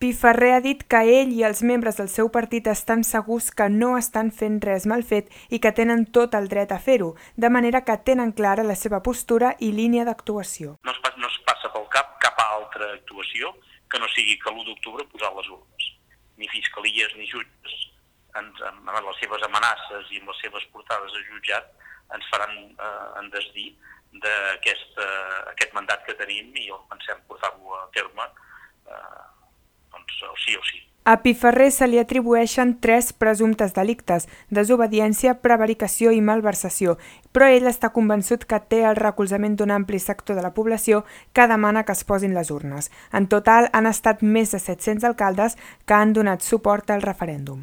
Piferrer ha dit que ell i els membres del seu partit estan segurs que no estan fent res mal fet i que tenen tot el dret a fer-ho, de manera que tenen clara la seva postura i línia d'actuació. No es passa pel cap altra actuació que no sigui que l'1 d'octubre posar les urnes. Ni fiscalies ni jutges, amb les seves amenaces i amb les seves portades a jutjat, ens faran desdir d'aquest mandat que tenim i el pensem portar-lo a terme sí o sí. A Piferrer se li atribueixen 3 presumptes delictes: desobediència, prevaricació i malversació, però ell està convençut que té el recolzament d'un ampli sector de la població que demana que es posin les urnes. En total, han estat més de 700 alcaldes que han donat suport al referèndum.